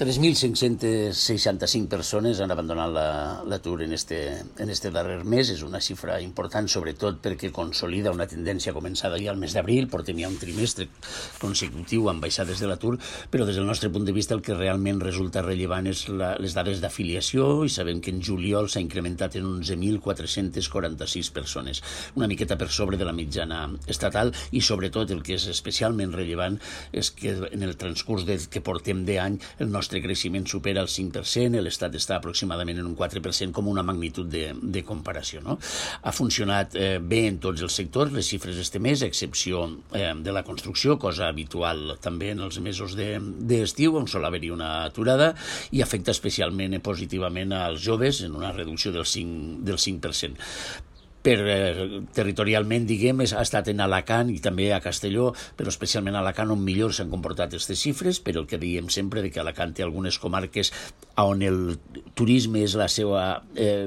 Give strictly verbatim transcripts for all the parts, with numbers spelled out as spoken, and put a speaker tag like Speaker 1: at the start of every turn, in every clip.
Speaker 1: tres mil cinc-centes seixanta-cinc persones han abandonat l'atur en este, en este darrer mes. És una xifra important, sobretot perquè consolida una tendència començada ja al mes d'abril. Portem ja un trimestre consecutiu amb baixades de l'atur, però des del nostre punt de vista el que realment resulta rellevant és la, les dades d'afiliació, i sabem que en juliol s'ha incrementat en onze mil quatre-cents quaranta-sis persones, una miqueta per sobre de la mitjana estatal, i sobretot el que és especialment rellevant és que en el transcurs de, que portem d'any el nostre El nostre creixement supera el cinc per cent, l'Estat està aproximadament en un quatre per cent, com una magnitud de, de comparació. No? Ha funcionat eh, bé en tots els sectors, les xifres este mes, a excepció eh, de la construcció, cosa habitual també en els mesos d'estiu, de, on sol haver-hi una aturada, i afecta especialment eh, positivament als joves, en una reducció del cinc, del cinc per cent. Per, eh, territorialment, diguem, ha estat en Alacant i també a Castelló, però especialment a Alacant on millor s'han comportat aquestes xifres, però el que diem sempre de que Alacant té algunes comarques on el turisme és la seva eh,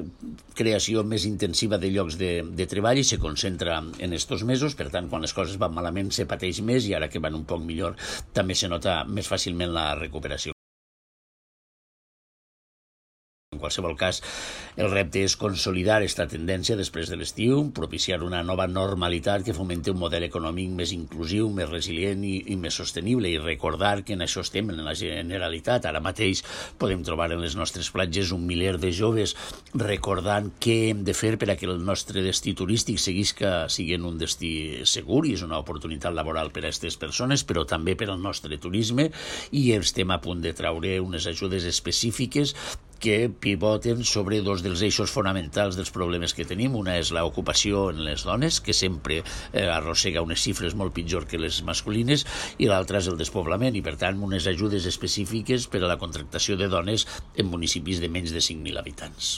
Speaker 1: creació més intensiva de llocs de, de treball i se concentra en estos mesos. Per tant, quan les coses van malament se pateix més, i ara que van un poc millor també se nota més fàcilment la recuperació. En qualsevol cas, el repte és consolidar aquesta tendència després de l'estiu, propiciar una nova normalitat que fomenti un model econòmic més inclusiu, més resilient i, i més sostenible, i recordar que en això estem en la Generalitat. Ara mateix podem trobar en les nostres platges un miler de joves recordant què hem de fer per a que el nostre destí turístic seguisca sent un destí segur, i és una oportunitat laboral per a aquestes persones, però també per al nostre turisme, i estem a punt de traure unes ajudes específiques que pivoten sobre dos dels eixos fonamentals dels problemes que tenim. Una és l'ocupació en les dones, que sempre eh, arrossega unes xifres molt pitjor que les masculines, i l'altra és el despoblament, i per tant unes ajudes específiques per a la contractació de dones en municipis de menys de cinc mil habitants.